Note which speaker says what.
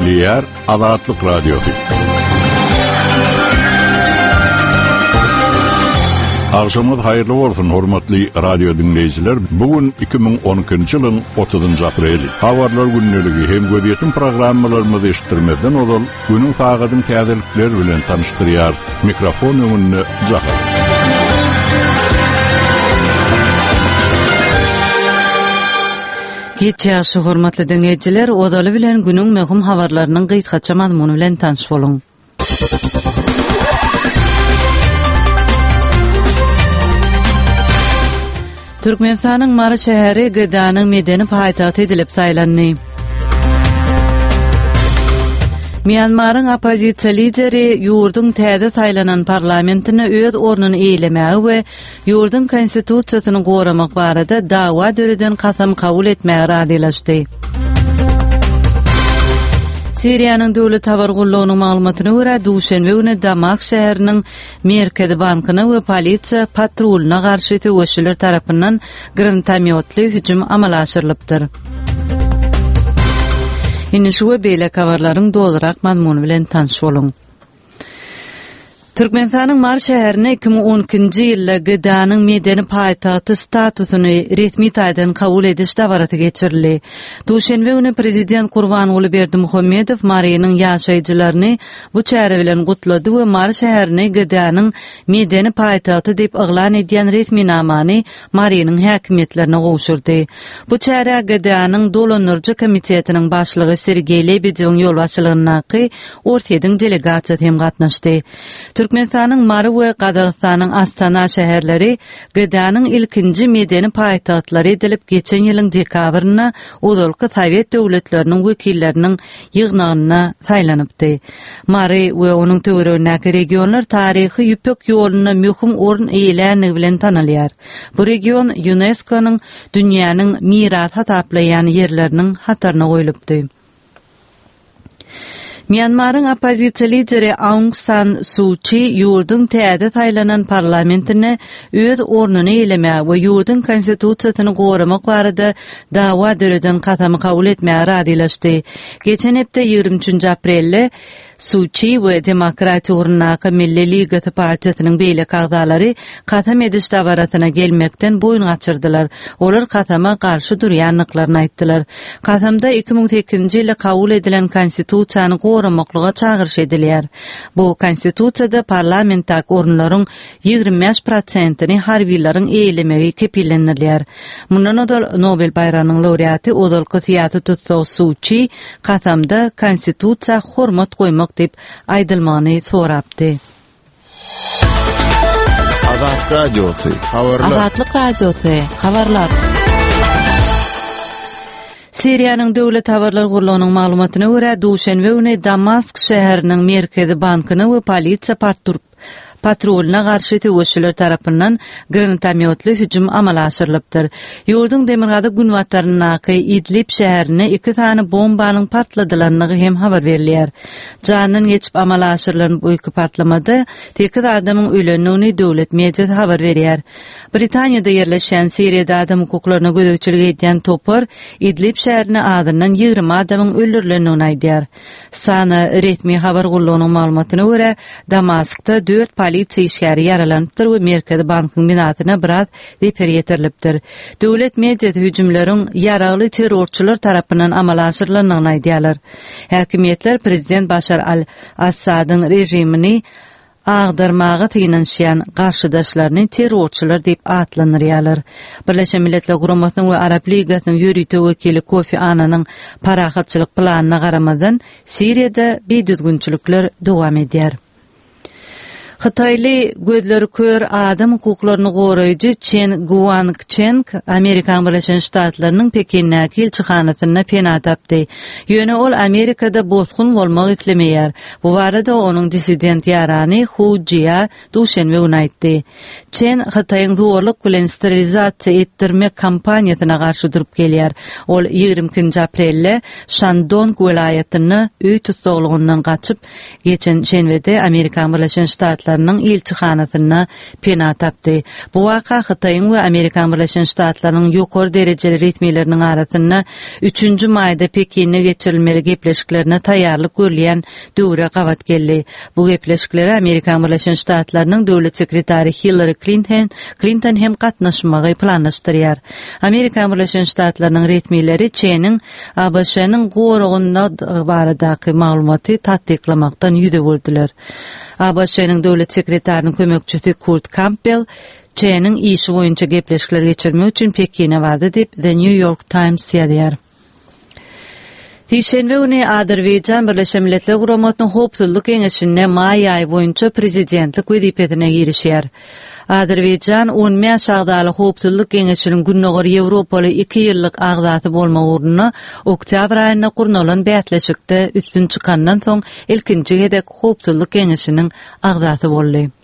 Speaker 1: dinleýär Azatlyk Radiosu. Akşamınız hayırlı olsun hormatly radio dinleyijiler. Bugün 2012-nji ýylyň 30-njy apreli. Habarlar günneligi hem gödýetim programmalarymyzy eşitdirmeden olal günüň saagatyň täzelikleri bilen tanıştyrýar. Mikrofon öňünde Jahar.
Speaker 2: Geçýärşi hormatly dinleyijiler, odaly bilen günüň möhüm habarlarynyň gyýtgaça mazmuny bilen tanış boluň. Türkmenistanyň Mary şäheri Gydanyň medeni paýtagy edilip saýlandy. Myanmaryň opozisiýa lideri ýurdun täze saýlanan parlamentine öz ornuny eýlemäge we ýurdun konstitusiýasyny goramak barada dawa döreden kasam kabul etmäge radylaşdy. Siriýanyň döwlet habar gullugynyň maglumatyna görä, duşenbe güni Damak şäheriniň Merkezi bankyna we polisiýa patruluna garşy töweşler tarapyndan granatamiotly hüjüm amala aşyrylypdyr. Indi şu beýle habarlaryň dolarak mazmuny bilen tanış boluň. Türkmenistanyň Mary şäherine 2012-nji ýylda Gydanyň medeni paýtagy statusyny resmi taýdan kabul ediş dabaraty geçirildi. Duşenbe güni prezident Gurbanuly Berdimuhammedow Marynyň ýaşaýjylaryny bu çäre bilen gutlady we Mary şäherini Gydanyň medeni paýtagy diýip eglan edýän resmi namany Marynyň häkimetlerine gowşurdy. Bu çäre Gydanyň dolanyrjy komitetiniň başlygy Sergey Lebedewň ýolbaşçylygyna ortaýdyň delegasiýa hem gatnaşdy. Türkmenistanyň Mary we Gazagystanyň Astana şäherleri Gydanyň ilkinji medeni paýtaglary edilip geçen ýylyň dekabryna Uzalky Sowet döwletleriniň wekilleriniň ýygnagyna saýlanypdy. Mary we onuň töweregindäki regionlar taryhy ýüpek ýoluny möhüm orun eýlänligi bilen tanylýar. Bu region UNESCO-nyň dünýäniň miras hataplayan ýerleriniň hataryna goýulypdy. Myanmaryň opozisiýa lideri Aung San Suu Kyi ýurdun täze saýlanan parlamentine öz ornuny eýlemäge we ýurdun konstitusiýasyny goramak barada dawa döreden kasamy kabul etmäge radylaşdy. Geçen hepde 23 aprelde Suu Kyi we Demokratiýa ugrundaky Milli Ligaty partiýasynyň beýle kagdalary kasam ediş dabaratyna gelmekden boyun gaçyrdylar. Olar kasama garşy durýanlyklaryny aýtdylar. Kasamda 2008-nji ýylda kabul edilen konstitusiýany goramaklyga çağırış edilýär. Bu konstitusiýada parlamentdaky orunlaryň 25%-ni harbiýlaryň eýlemegi kepillendirilýär. Mundan öňe Nobel bayranyň laureaty Uzalky syýasy tutsa Suu Kyi kasamda konstitusiýa hormat goýmak dip aýdylmagyny sorapdy.
Speaker 1: Azatlyk Radiosu, habarlar.
Speaker 2: Azatlyk Radiosu, habarlar. Siriýanyň döwlet habarlar gurulugynyň maglumatyna görä, duşenbe güni Damask şäheriniň Merkezi bankyna we polisiýa patruluna garşy töweşler tarapyndan granatamiotly hüjüm amala aşyrylypdyr. Ýurdun Demirgady günwatlarynaky Idlib şäherine 2 tane bombanyň patladylanlygy hem habar berilýär. Janyň geçip amala aşyrylan bu iki patlamada 8 adamyň ölenini döwlet mediýasy habar berýär. Britaniýada ýerleşen Siriýada adam hukuklaryna gödekçilik edýän topar Idlib şäherine adından 20 adamyň öldürilenini aýdýar. Sana resmi habar gurulugynyň maglumatyna görä, Damaskda 4 polisiýa işgäri ýaralanypdyr we Merkezi bankyň binasyna biraz reper ýetirilipdir. Döwlet mediýasy hüjümleriň ýaraly terrorçylar tarapyndan amala aşyrylanyny aýdýarlar. Häkimetler prezident Başar al-Assadyň rejimini agdarmaga tynanşýan garşydaşlaryny terrorçylar diýip atlanyrýarlar. Birleşen Milletler Guramasynyň we Arap Ligasynyň ýürüýte wekili Kofi Annanyň parahatçylyk planyna garamadan Siriýada beýdüzgünçilikler dowam edýär. Xitayly gözleri kör adam hukuklaryny goraýjy Chen Guangcheng Amerikan Birleşen Ştatlarynyň Pekindäki elçixanasyna pena tapdy. Ýöne ol Amerikada bozgun bolmak islemeýär. Bu barada onuň dissident ýarany Hu Jia duşenbe güni aýtdy. Chen Xitaýyň zorluk bilen sterilizasiýa etdirmek kampaniýasyna garşy durup gelýär. Ol 20 aprelde Shandong welaýatyny öý tutsaglygyndan gaçyp geçen şenbede Amerikan Birleşen Ştatlarynyň Ştatlarynyň elçihanasyna pena tapdy. Bu waka Hytaýyň we Amerika Birleşen Ştatlarynyň ýokary derejeli retmileriniň arasynda 3-nji maýda Pekinne geçirilmeli gepleşiklerine taýýarlyk görülýän döwre gabat geldi. Bu gepleşikleri Amerika Birleşen Ştatlarynyň döwlet sekretary Hillary Clinton hem gatnaşmagy planlaşdyrýar. Amerika Birleşen Ştatlarynyň retmileri Çeňiň ABŞ-nyň gorugunda baradaky maglumaty tatbiklamakdan ýüde boldylar. ABC-nin döwlet sekretarının kömekçisi Kurt Campbell Çeňiň işi boýunça gepleşikler geçirmek üçin Pekine bardy dep The New York Times ýazýar. Hiçenbe güni Azerbaýjan Birleşen Milletler Guramatynyň howpsuzlyk keňeşine maý aýy boýunça prezidentlik wezipetine girişýär. Azerbaýjan 10 ýaş agdaly howpsuzlyk keňeşiniň günnäger Ýewropaly 2 ýyllyk agdaty bolma uğruna oktyabr aýynda kurnalan bätleşikde üstün çykandan soň ilkinji gedek howpsuzlyk keňeşiniň agdaty boldy.